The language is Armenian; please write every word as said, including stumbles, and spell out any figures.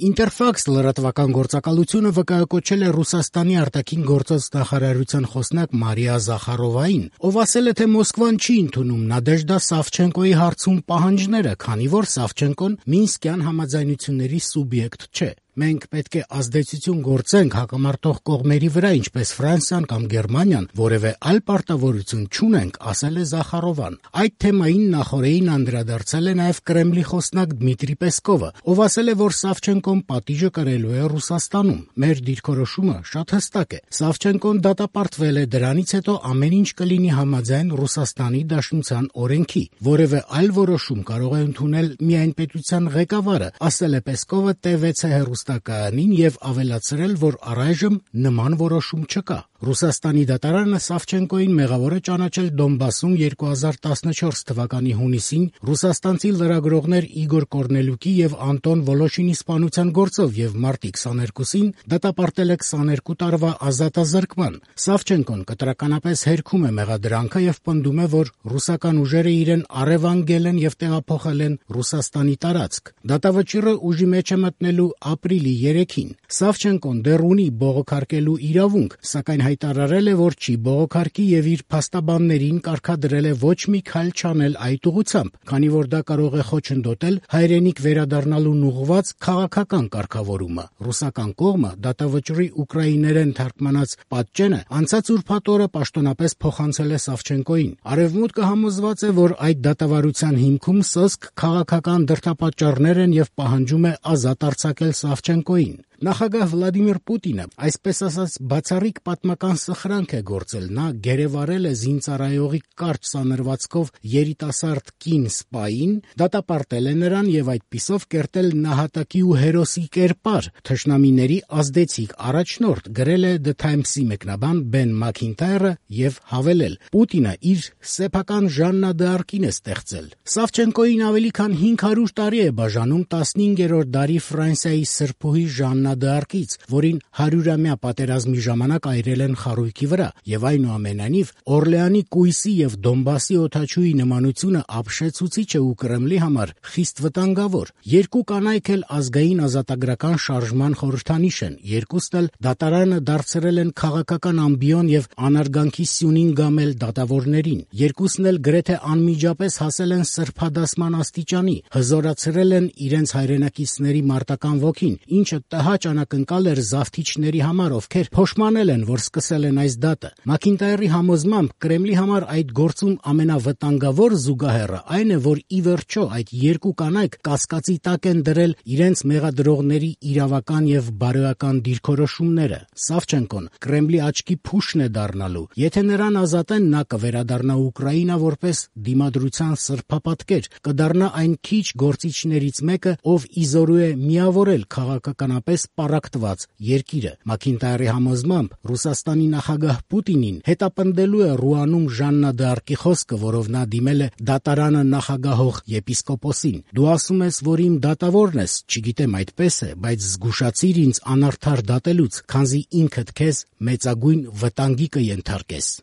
Ինտերֆաքս լրատվական գործակալությունը վկայակոչել է Ռուսաստանի արտաքին գործոց նախարարության խոսնակ Մարիա Զախարովային, ով ասել է, թե Մոսկվան չի ընդունում Նադեժդա Սավչենկոյի հարցում պահանջները, քանի որ Սավչենկոն Մինսկյան համաձայնությունների սուբյեկտ չէ։ Մենք պետք է ազդեցություն գործենք հակամարտող կողմերի վրա, ինչպես Ֆրանսիան կամ Գերմանիան, որևէ այլ պարտավորություն չունենք, ասել է Զախարովան։ Այդ թեմային նախօրեին անդրադարձել է նաև Կրեմլի խոսնակ Դմիտրի Պեսկովը, ով ասել է, որ Սավչենկոն պատիժը կրելու է Ռուսաստանում։ Մեր դիրքորոշումը շատ հստակ է։ Սավչենկոն դատապարտվել է, դրանից հետո ամեն ինչ կլինի համաձայն Ռուսաստանի Դաշնության օրենքի։ Որևէ այլ որոշում կարող է ընդունել միայն պետության ղեկավարը, ասել է Պեսկովը Տե վեցի հեռուստակայանին եւ ավելացրել, որ առայժմ նման որոշում չկա։ Ռուսաստանի դատարանը Սավչենկոյին մեղավոր է ճանաչել Դոնբասում երկու հազար տասնչորս թվականի հունիսին ռուսաստանցի լրագրողներ Իգոր Կորնելյուկի եւ Անտոն Վոլոշինի սպանության գործով եւ մարտի քսաներկուսին դատապարտել է քսաներկու տարվա ազատազրկման։ Սավչենկոն կտրականապես հերքում է մեղադրանքը եւ պնդում է, որ ռուսական ուժերը իրեն առևանգել են եւ տեղափոխել են Ռուսաստանի տարածք։ Դատավճիռը ուժի մեջ է մտնելու ապրիլի երեքին։ Սավչենկոն դեռ ունի բողոքարկելու իրավունք, սակայն հայտարարել է, որ չի բողոքարկի եւ իր փաստաբաններին կարգադրել է ոչ մի քայլ չանել այդ ուղղությամբ, քանի որ դա կարող է խոչընդոտել հայրենիք վերադառնալուն ուղղված քաղաքական կարգավորումը։ Ռուսական կողմը դատավճռի ուկրաիներեն թարգմանած պատճենը անցած ուրբաթ օրը պաշտոնապես փոխանցել է Սավչենկոյին։ Արևմուտքը համոզված է, որ այդ դատավարության հիմքում սոսկ քաղաքական դրդապատճառներ են եւ պահանջում է ազատ արձակել Սավչենկոյին։ Նախագահ Վլադիմիր Պուտինը, այսպես ասած, բացառիկ պատմական սխրանք է գործել։ Նա գերեվարել է զինծառայողի կարճ սանրվածքով երիտասարդ կին սպային, դատապարտել է նրան եւ այդպիսով կերտել նահատակի ու հերոսի կերպար։ Թշնամիների ազդեցիկ առաջնորդ, գրել է The Times-ի մեկնաբան Բեն Մաքինթայրը եւ հավելել. Պուտինը իր սեփական Ժաննա դ'Արկին է ստեղծել։ Սավչենկոյին ավելի քան հինգ հարյուր տարի է բաժանում տասնհինգերորդ դարի Ֆրանսիայի սրբուհի Ժաննա դ'Արկից, որին հարյուրամյա պատերազմի ժամանակ այրել են խարույկի վրա, եւ այնուամենայնիվ Օրլեանի կույսի եւ Դոնբասի օդաչուի նմանությունը ապշեցուցիչ է ու Կրեմլի համար խիստ վտանգավոր։ Երկու կանայք էլ ազգային ազատագրական շարժման խորհրդանիշ են, երկուսն էլ դատարանը դարձրել են քաղաքական ամբիոն եւ անարգանքի սյունին գամել դատավորներին։ Երկուսն էլ գրեթե անմիջապես հասել են սրբադասման աստիճանի, հզորացրել են իրենց հայրենակիցների մարտական ոգին, ինչը տհաճ անակնկալ էր զավթիչների համար, ովքեր փոշմանել են, որ սկսել են այս դատը։ Մաքինտայրի համոզմամբ Կրեմլի համար այդ գործում ամենավտանգավոր զուգահեռը այն է, որ ի վերջո այդ երկու կանայք կասկածի տակ են դրել իրենց մեղադրողների իրավական եւ բարոյական դիրքորոշումները։ Սավչենկոն Կրեմլի աչքի փուշն է դառնալու։ Եթե նրան ազատեն, նա կվերադառնա Ուկրաինա որպես դիմադրության սրբապատկեր, կդառնա այն քիչ գործիչներից մեկը, ով իզորու է միավորել քաղաքականապես պառակտված երկիրը։ Մաքինտայրի համոզմամբ Ռուսաստանի նախագահ Պուտինին հետապնդելու է Ռուանում Ժաննա դ'Արկի խոսքը, որով նա դիմել է դատարանը նախագահող եպիսկոպոսին։ Դու ասում ես, որ իմ դատավորն ես, չգիտեմ այդպես է, բայց զգուշացիր ինձ անարդար դատելուց, քանզի ինքդ քեզ մեծագույն վտանգի կենթարկես։